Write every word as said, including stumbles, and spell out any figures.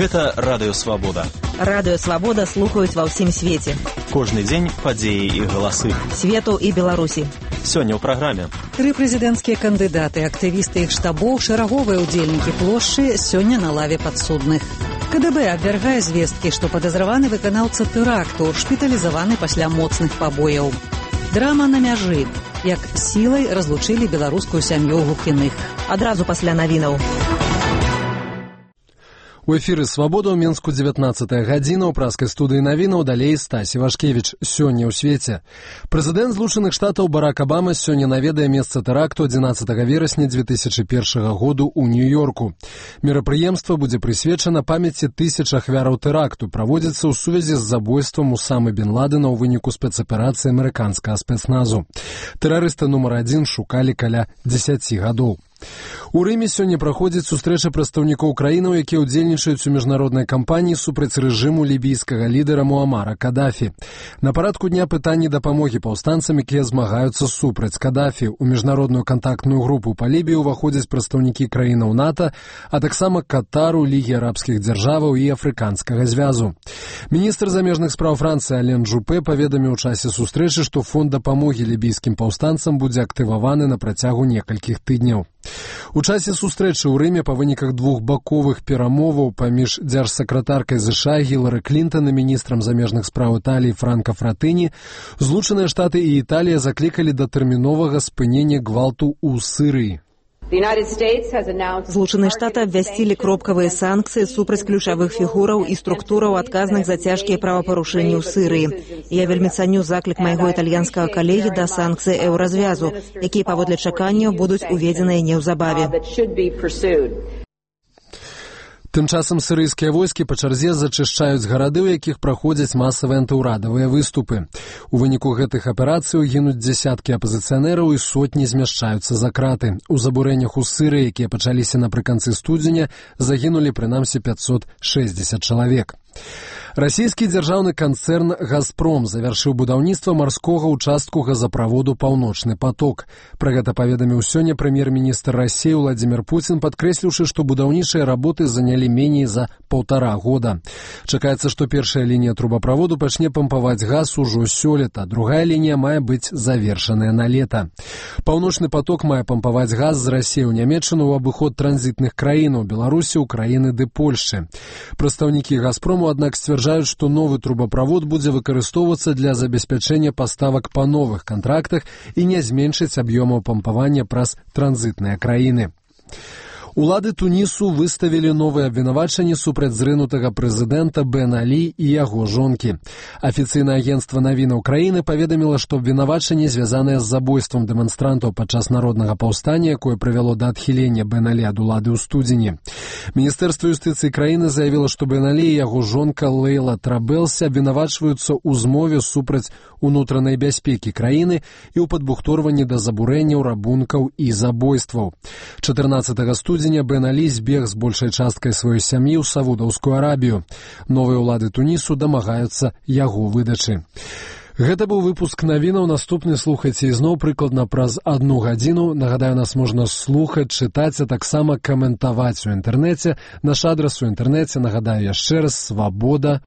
Гэта Радыё Свабода. Радыё Свабода слухаюць ва ўсім свеце. Кожны дзень падзеі і галасы. Свету і Беларусі. Сёння ў праграме. Тры прэзідэнцкія кандыдаты, актывісты іх штабоў, шэраговыя ўдзельнікі плошчы сёння на лаве падсудных. КДБ абвяргае звесткі, што падазраваны выканаўца тэракту, шпіталізаваны пасля моцных пабояў. Драма на мяжы. Як сілай разлучылі беларускую сям'ю глухіных. Адразу пасля навінаў. У эфіры «Свабода» ў Менску дзевятнаццатая гадзіна, ў праскай студыі навінаў далей Стасі Вашкевіч. Сёння ў свеце. Прэзідэнт Злучаных Штатаў Барак Абама сёння наведае месца тэракту адзінаццатага верасня дзве тысячы першага году ў Нью-Йорку. Мерапрыемства будзе прысвечана памяці тысяч ахвяраў тэракту, праводзіцца ў сувязі з забойствам Усамы бен Ладена ў выніку спецаперацыі амерыканскага спецназу. Тэрарыста нумар адзін шукалі каля дзесяці гадоў. У Рыме сёння праходзіць сустрэча прадстаўнікоў краінаў, якія ўдзельнічаюць у міжнароднай кампаніі супраць рэжыму лібійскага лідара Муамара Кадафі. На парадку дня пытанні дапамогі паўстанцам, якія змагаюцца супраць Кадафі. У міжнародную кантактную групу па Лібіі ўваходзяць прадстаўнікі краінаў НАТО, а таксама Катару, Лігі арабскіх дзяржаваў і Афрыканскага звязу. Міністр замежных спраў Францыі Ален Жупе паведаміў у часе сустрэчы, што фонд дапамогі лібійскім паўстанцам будзе актываваны на працягу некалькіх тыдняў. У часе сустрэчы ў Рыме па выніках двухбаковых перамоваў паміж дзяржсакратаркай ЗША Гілары Клінтон і міністрам замежных спраў Італіі Франка Фратэні Злучаныя Штаты і Італія заклікалі да тэрміновага спынення гвалту ў Сірыі. Злучаныя Штаты абвясцілі кропкавыя санкцыі супраць ключавых фігураў і структураў, адказных за цяжкія правапарушэнні ў Сірыі. Я вельмі цаню заклік майго італьянскага калегі да санкцый еўразвязу, якія паводле чаканняў будуць уведзеныя неўзабаве. Тым часам сірыйскія войскі па чарзе зачышчаюць гарады, у якіх праходзяць масавыя антыўрадавыя выступы. У выніку гэтых аперацый гінуць дзесяткі апазіцыянераў і сотні змяшчаюцца за краты. У забурэннях у Сірыі, якія пачаліся напрыканцы студзеня, загінулі прынамсі пяцьсот шэсцьдзесят чалавек. Расійскі дзяржаўны канцэрн «Газпром» завяршыў будаўніцтва марскога ўчастку газаправоду «Паўночны поток». Пра гэта паведаміў сёння прэм'ер-міністр Расіі Владзімір Пуцін, падкрэсліўшы, што будаўнічыя работы занялі меней за паўтара года. Чакаецца, што першая лінія трубаправоду пачне пампаваць газ ужо сёлета, другая лінія мае быць завершаная на лета. «Паўночны поток» мае пампаваць газ з Расіі ў Нямецчыну ў абыход транзітных краінаў Беларусі, Украіны ды Польшчы. Прадстаўнікі «Газпрому», аднак, сцвярджаюць, што новы трубаправод будзе выкарыстоўвацца для забеспячэння паставак па новых кантрактах і не зменшыць аб'ёмаў пампавання праз транзітныя краіны. Улады Тунісу выставілі новыя абвінавачанні супраць зрынутага прэзідэнта Бен Алі і яго жонкі. Афіцыйнае агенцтва навінаў краіны паведаміла, што абвінавачанні звязаныя з забойствам дэманстрантаў падчас народнага паўстання, якое прывяло да адхілення Бен Алі ад улады ў студзені. Міністэрства юстыцыі краіны заявіла, што Бен Алі і яго жонка Лейла Трабелсі абвінавачваюцца ў змове супраць унутранай бяспекі краіны і ў падбухторванні да забурэнняў, рабункаў і забойстваў. чатырнаццатага студзеня Бен Алі збег з большай часткай сваёй сям'і ў Саудаўскую Арабію. Новыя ўлады Тунісу дамагаюцца яго выдачы. Гэта быў выпуск навінаў. Наступны слухайце ізноў прыкладна праз адну гадзіну. Нагадаю, нас можна слухаць, чытаць, а таксама каментаваць у інтэрнэце. Наш адрас у інтэрнэце, нагадаю яшчэ раз, свабода